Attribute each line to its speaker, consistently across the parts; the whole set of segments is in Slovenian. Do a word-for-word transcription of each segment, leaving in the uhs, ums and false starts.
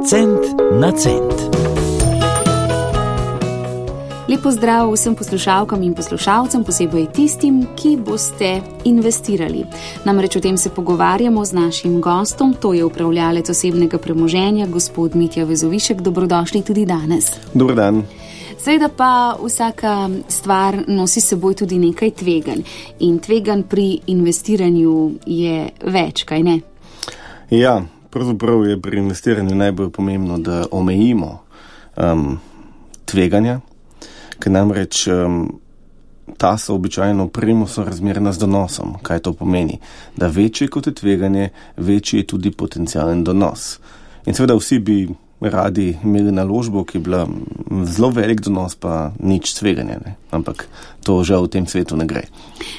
Speaker 1: Cent na cent.
Speaker 2: Lep pozdrav vsem poslušalkam in poslušalcem, posebej tistim, ki boste investirali. Namreč o tem se pogovarjamo z našim gostom, to je upravljalec osebnega premoženja, gospod Mitja Vezovišek. Dobrodošli tudi danes.
Speaker 3: Dober dan.
Speaker 2: Seveda pa vsaka stvar nosi seboj tudi nekaj tveganj. In tveganj pri investiranju je več, kaj ne?
Speaker 3: Ja, pravzaprav je pri investiranju najbolj pomembno, da omejimo um, tveganja, ker namreč um, ta so običajno primo sorazmerna z donosom. Kaj to pomeni? Da večje kot je tveganje, večji je tudi potencialen donos. In seveda vsi bi radi imeli naložbo, ki je bila zelo velik donos, pa nič tveganja, ne? Ampak to žal v tem svetu ne gre.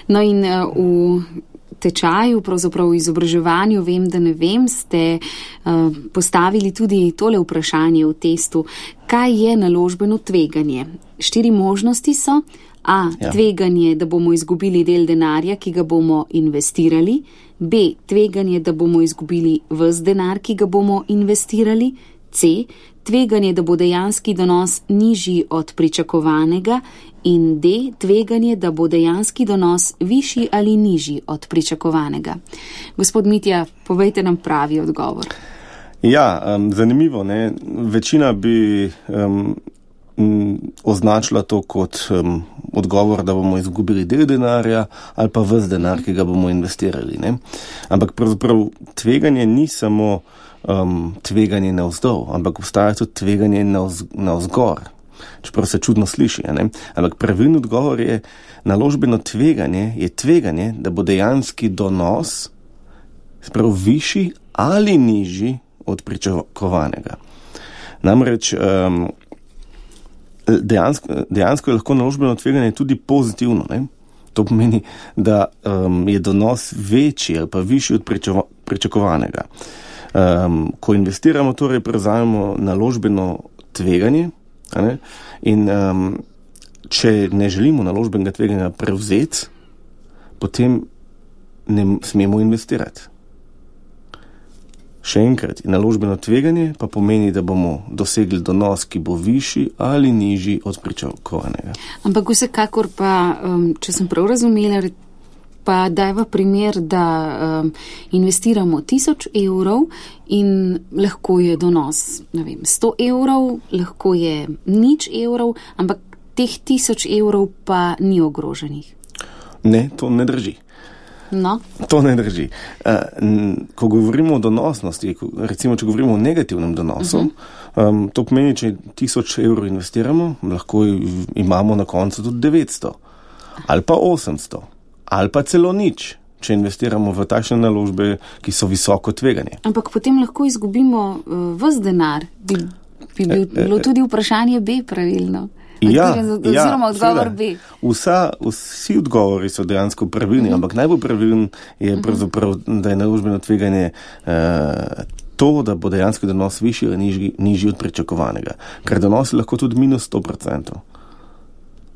Speaker 2: No in uh, v tečaju, pravzaprav v izobraževanju, vem, da ne vem, ste uh, postavili tudi tole vprašanje v testu. Kaj je naložbeno tveganje? Štiri možnosti so. A. Ja. Tveganje, da bomo izgubili del denarja, ki ga bomo investirali. B. Tveganje, da bomo izgubili ves denar, ki ga bomo investirali. C. Tveganje, da bo dejanski donos nižji od pričakovanega. In D. Tveganje, da bo dejanski donos višji ali nižji od pričakovanega. Gospod Mitja, povejte nam pravi odgovor.
Speaker 3: Ja, um, zanimivo, ne? Večina bi um, m, označila to kot um, odgovor, da bomo izgubili del denarja ali pa ves denar, ki ga bomo investirali, ne? Ampak pravzaprav tveganje ni samo um, tveganje navzdol, ampak obstaja tudi tveganje navz, navzgor. Čeprav se čudno sliši, ne? Ampak pravilni odgovor je, naložbeno tveganje je tveganje, da bo dejanski donos sprav višji ali nižji od pričakovanega. Namreč um, dejansko, dejansko je lahko naložbeno tveganje tudi pozitivno, ne? To pomeni, da um, je donos večji ali pa višji od priča, pričakovanega. Um, ko investiramo, torej prevzamemo naložbeno tveganje, ne? In um, če ne želimo naložbenega tveganja prevzeti, potem ne smemo investirati. Še enkrat, naložbeno tveganje pa pomeni, da bomo dosegli donos, ki bo višji ali nižji od pričakovanega.
Speaker 2: Ampak vsekakor pa, um, če sem prav razumela, pa dajva primer, da um, investiramo tisoč evrov in lahko je donos, ne vem, sto evrov, lahko je nič evrov, ampak teh tisoč evrov pa ni ogroženih.
Speaker 3: Ne, to ne drži.
Speaker 2: No.
Speaker 3: To ne drži. Ko govorimo o donosnosti, recimo, če govorimo o negativnem donosu, uh-huh. um, to pomeni, če tisoč evrov investiramo, lahko imamo na koncu tudi devetsto, ali pa osemsto, ali pa celo nič, če investiramo v takšne naložbe, ki so visoko tveganje.
Speaker 2: Ampak potem lahko izgubimo uh, ves denar. Bi, bi bilo tudi vprašanje B pravilno.
Speaker 3: Ja,
Speaker 2: oziroma odgovor B.
Speaker 3: Vsa, vsi odgovori so dejansko pravilni, uh-huh. ampak najbolj pravilen je pravzaprav, da je naložbeno tveganje uh, to, da bo dejansko donos višji ali nižji, nižji od pričakovanega. Ker donos je lahko tudi minus sto procentov.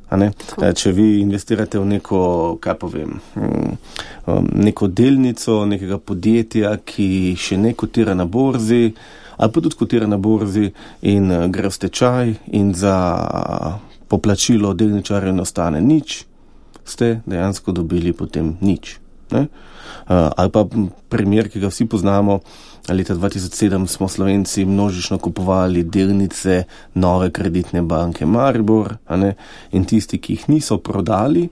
Speaker 3: A ne? Cool. Če vi investirate v neko, kaj povem, um, neko delnico nekega podjetja, ki še ne kotira na borzi, ali pa tudi kotira na borzi in uh, gre v stečaj in za poplačilo delničarjev ne ostane nič, ste dejansko dobili potem nič. Ne? Uh, ali pa primer, ki ga vsi poznamo, leta dva tisoč sedem smo Slovenci množično kupovali delnice Nove kreditne banke Maribor, a ne? In tisti, ki jih niso prodali,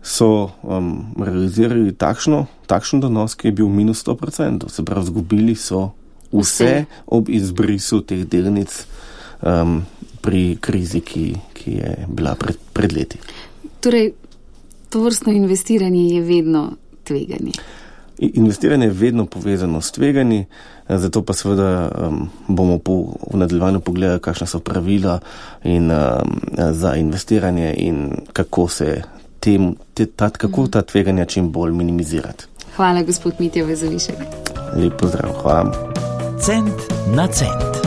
Speaker 3: so um, realizirali takšno, takšen donos, ki je bil minus sto procentov. Se pravi, zgubili so vse ob izbrisu teh delnic um, pri krizi, ki, ki je bila pred, pred leti.
Speaker 2: Torej, tovrstno investiranje je vedno tveganje.
Speaker 3: Investiranje je vedno povezano s tveganji, zato pa seveda um, bomo po, v nadaljevanju pogledali, kakšna so pravila in, um, za investiranje in kako se tem, te, ta, kako ta tveganja čim bolj minimizirati.
Speaker 2: Hvala, gospod Mitja Vezovišek.
Speaker 3: Lep pozdrav, hvala.
Speaker 1: Cent na cent.